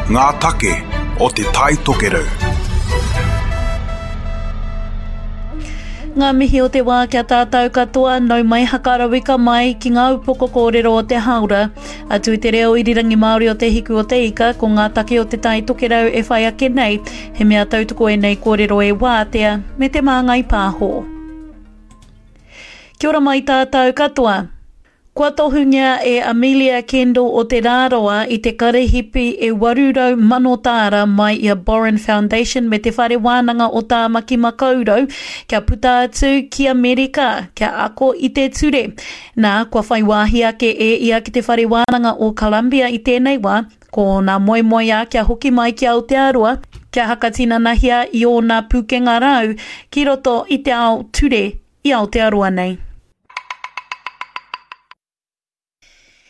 Ngā take o Te Tai Tokerau. Ngā mihi o te wā kia tātou katoa, nau mai hakarauika mai ki ngā upoko kōrero o te hāora. Atu i te reo irirangi Māori o Te Hiku o Te Ika, ko ngā take o Te Tai Tokerau e whai ake nei, he mea tautoko ēnei kōrero e Wātea me Te Māngai Pāho. Kia ora mai tātou katoa. Kua tohungia e Amelia Kendall o Te Rarawa i te karehipi e 800 mano tāra mai i a Borrin Foundation me Te Whare Wānanga o Tāmaki Makaurau kia puta atu ki Amerika kia ako i te ture. Nā, kua whai wāhi ake e ia ki Te Whare Wānanga o Columbia i tēnei wā, ko ōna moemoeā kia hoki mai ki Aotearoa kia hakatinanahia i ōna pūkenga rau ki roto i te ao ture i Aotearoa nei.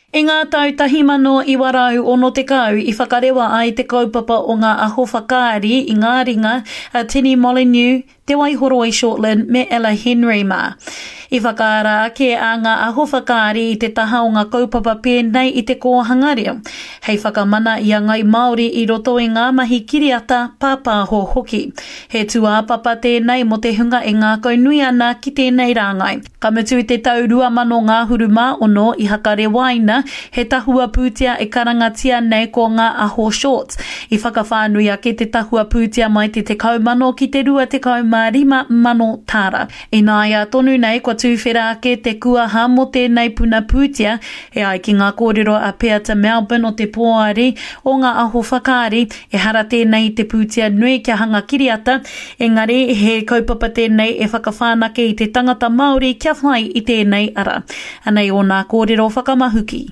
I ngā tau 1960 i whakarewa ai te kaupapa o ngā aho whakaari i ngā ringa a Tini Molyneux, Te Waihoroi Shortland me Ella Henry mā. I whakaara ake a Ngā Aho Whakaari i te taha o ngā kaupapa pēnei i te kōhanga reo, hei whakamana i a Ngai Māori i roto i ngā mahi kiriata, pāpāho hoki. He tūāpapa tēnei mō te hunga e ngākaunui ana ki tēnei rāngai. Ka mutu i te tau 2000 ngahuru mā ono i hakarewaina he tahua pūtea e karangatia nei ko Ngā Aho Shorts. I whakawhānui ake te tahua pūtea mai te 10,000 ki te 25,000 tāra. Ināia tonu nei kua tūwhera ake te kuaha mō tēnei puna pūtea, e ai ki ngā kōrero a Peata Melbourne o te Poari o Ngā Aho Whakaari, ehara tēnei i te pūtea nui kia hanga kiriata, engari he kaupapa tēnei e whakawhanake i te tangata Māori kia whai i tēnei ara. Anei ōna kōrero whakamahuki.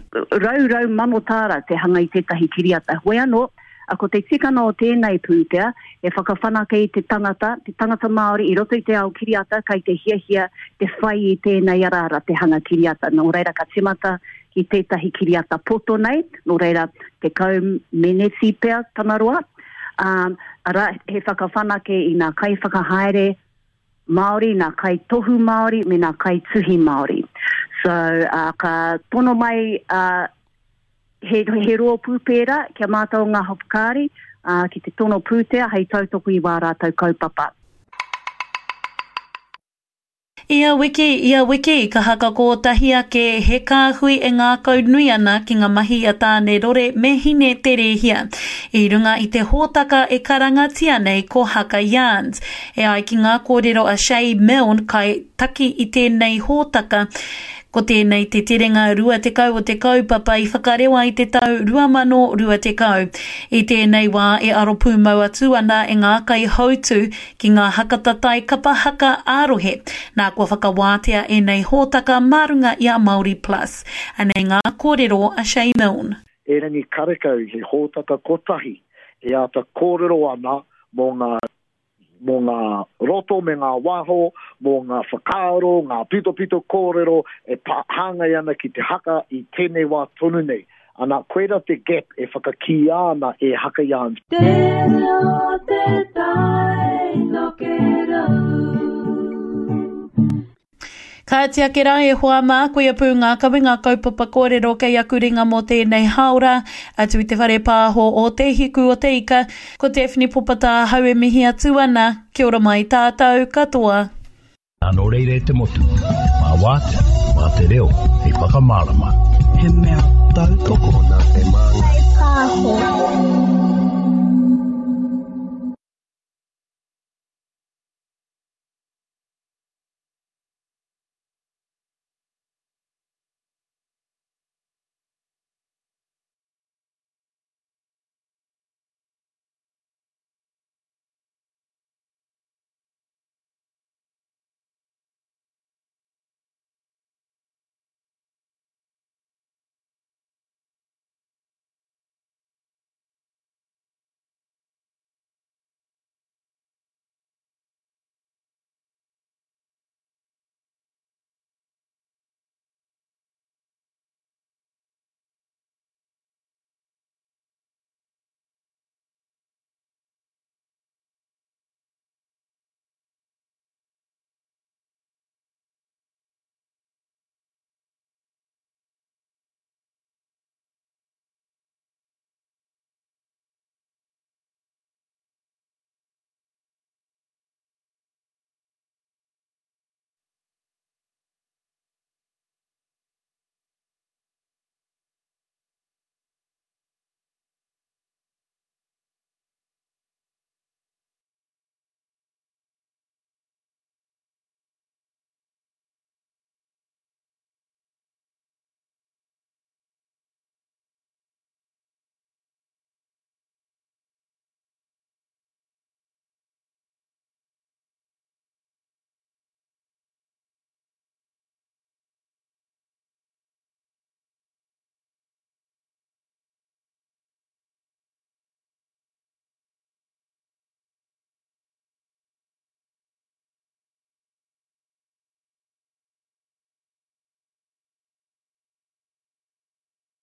Raurau manotāra te hanga i tētahi kiriata. Hoi anō, ko te tikanga o tēnei pūtea, he whakawhanake i te tangata, te tangata Māori i roto i te ao kiriata kei te hiahia te whai i tēnei araara te hanga kiriata. Nō reira ka timata ki tētahi kiriata poto nei, nō reira 10 meneti pea tana roa, ā, arā, he whakawhanake i ngā kaiwhakahaere Māori, ngā kaitohu Māori me ngā kaituhi Māori. So, ā, ka tono mai, ā, he, he rōpū pērā kia mātau ngā whakaari, ā, ki te tono pūtea hei tautoko i wā rātou kaupapa. Ia wiki, ia wiki, ka haka kōtahi ake he kāhui e ngākaunui ana ki ngā mahi a Tāne Rore me Hine Te Rēhia, i runga i te hōtaka e karangatia nei ko Haka Yarns. E ai ki ngā kōrero a Shay Milne kai taki i tēnei hōtaka, ko tēnei te terenga 20 o te kaupapa i whakarewa i te tau 2020. I tēnei wā e aro pūmau atu ana e ngā kaihautū ki ngā hakatatai kapa haka ā-rohe. Nā kua whakawātea ēnei hōtaka mā runga i a Māori Plus. Anei ngā kōrero a Shay Milne. Erangi karekau he hōtaka kotahi e āta kōrero ana mō ngā mō ngā roto me ngā waho, mō ngā whakaaro, ngā pitopito kōrero e pā hāngai ana ki te haka i tēnei wā tonu nei. Ana, koira te gap e whakakīia ana e Haka Yarns. Te reo te tai tokerau. Kāti ake rā e hoa mā, koia pū ngā kawenga kaupapa kōrero kei aku ringa mō tēnei hāora, atu i te whare pāho o Te Hiku o Te Ika, ko Daphne Popata ahau e mihi atu ana, kia ora mai tātou katoa. Nā nō reira e te motu, mā wātea, mā te reo hei whakamārama. He mea tautoko. Nā te māngai.